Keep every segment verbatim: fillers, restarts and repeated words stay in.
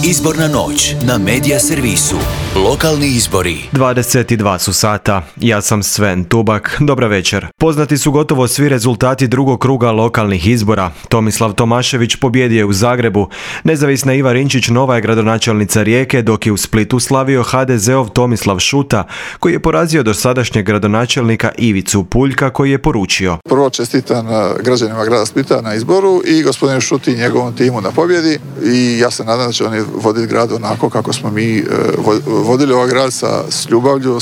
Izborna noć na Medija servisu. Lokalni izbori. dvadeset dva su sata. Ja sam Sven Tubak. Dobra večer. Poznati su gotovo svi rezultati drugog kruga lokalnih izbora. Tomislav Tomašević pobjedio je u Zagrebu. Nezavisna Iva Rinčić nova je gradonačelnica Rijeke, dok je u Splitu slavio ha de zeov Tomislav Šuta, koji je porazio dosadašnjeg gradonačelnika Ivicu Puljka, koji je poručio: Prvo čestitam građanima grada Splita na izboru i gospodinu Šuti i njegovom timu na pobjedi, i ja se nadam da će oni voditi grad onako kako smo mi vodili ovaj grad, sa s ljubavlju,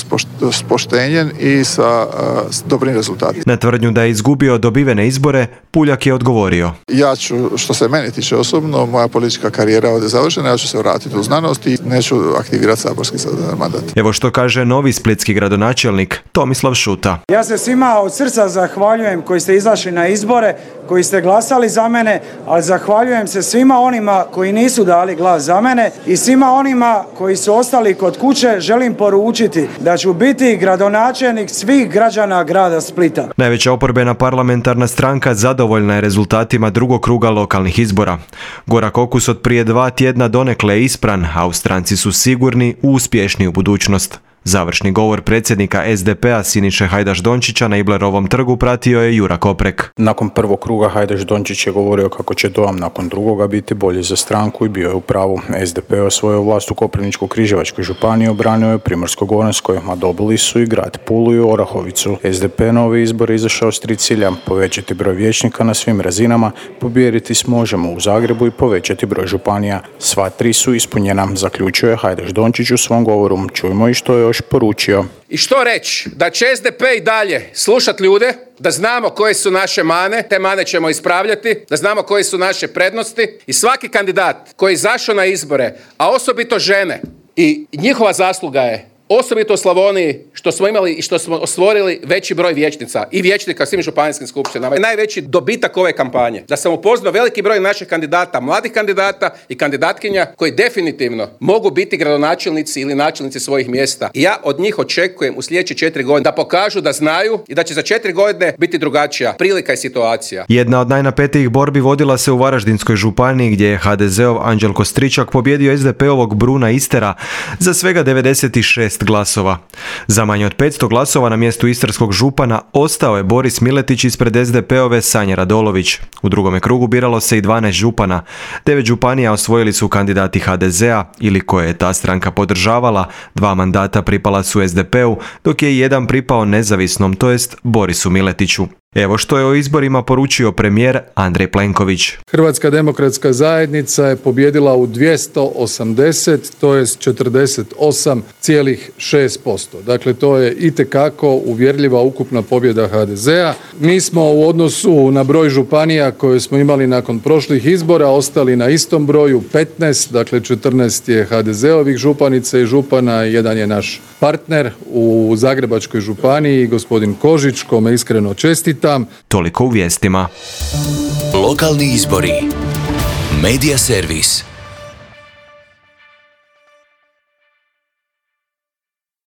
s poštenjem i sa s dobrim rezultatima. Na tvrdnju da je izgubio dobivene izbore, Puljak je odgovorio: Ja ću, što se meni tiče osobno, moja politička karijera ovdje završena, ja ću se vratiti u znanost i neću aktivirati saborski mandat. Evo što kaže novi splitski gradonačelnik Tomislav Šuta. Ja se svima od srca zahvaljujem koji ste izašli na izbore, koji ste glasali za mene, ali zahvaljujem se svima onima koji nisu dali glas za mene i svima onima koji su ostali kod kuće. Želim poručiti da ću biti gradonačelnik svih građana grada Splita. Najveća oporbena parlamentarna stranka zadovoljna je rezultatima drugog kruga lokalnih izbora. Gorak okus od prije dva tjedna donekle je ispran, a u stranci su sigurni u uspješniju budućnost. Završni govor predsjednika es de pe a Siniše Hajdaš Dončića na Iblerovom trgu pratio je Jura Koprek. Nakon prvog kruga Hajdaš Dončić je govorio kako će dojam nakon drugoga biti bolji za stranku i bio je u pravu. es de pe osvojio vlast u Koprivničko-križevačkoj županiji, obranio je Primorsko-goranskoj, a dobili su i grad Pulu i Orahovicu. es de pe na ove izbore izašao s tri cilja: povećati broj vijećnika na svim razinama, pobijediti s Možemo u Zagrebu i povećati broj županija. Sva tri su ispunjena, zaključio je Hajdaš Dončić u svom govoru. Čujmo i što je još poručio. I što reći? Da će es de pe i dalje slušati ljude, da znamo koje su naše mane, te mane ćemo ispravljati, da znamo koje su naše prednosti, i svaki kandidat koji je izašao na izbore, a osobito žene, i njihova zasluga je osobito u Slavoniji što smo imali i što smo ostvorili veći broj vijećnica i vijećnika svim županijskim skupštinama. Najveći dobitak ove kampanje, da sam upoznao veliki broj naših kandidata, mladih kandidata i kandidatkinja koji definitivno mogu biti gradonačelnici ili načelnici svojih mjesta. I ja od njih očekujem u sljedeće četiri godine da pokažu da znaju i da će za četiri godine biti drugačija prilika i situacija. Jedna od najnapetijih borbi vodila se u Varaždinskoj županiji, gdje je ha de zeov Anđelko Stričak pobjedio es de pe ovog Bruna Istera za svega devedeset šest glasova. Za manje od petsto glasova na mjestu istarskog župana ostao je Boris Miletić ispred es de pe ove Sanje Radolović. U drugome krugu biralo se i dvanaest župana. Devet županija osvojili su kandidati ha de zea ili koje je ta stranka podržavala, dva mandata pripala su es de pe u, dok je jedan pripao nezavisnom, to jest Borisu Miletiću. Evo što je o izborima poručio premijer Andrej Plenković. Hrvatska demokratska zajednica je pobijedila u dvjesto osamdeset, to jest četrdeset osam zarez šest posto. Dakle, to je itekako uvjerljiva ukupna pobjeda ha de zea. Mi smo u odnosu na broj županija koje smo imali nakon prošlih izbora ostali na istom broju, petnaest, dakle četrnaest je ha de zeovih županica i župana, jedan je naš partner u Zagrebačkoj županiji, gospodin Kožić, kome iskreno čestitam. Toliko u vijestima. Lokalni izbori. Medija servis.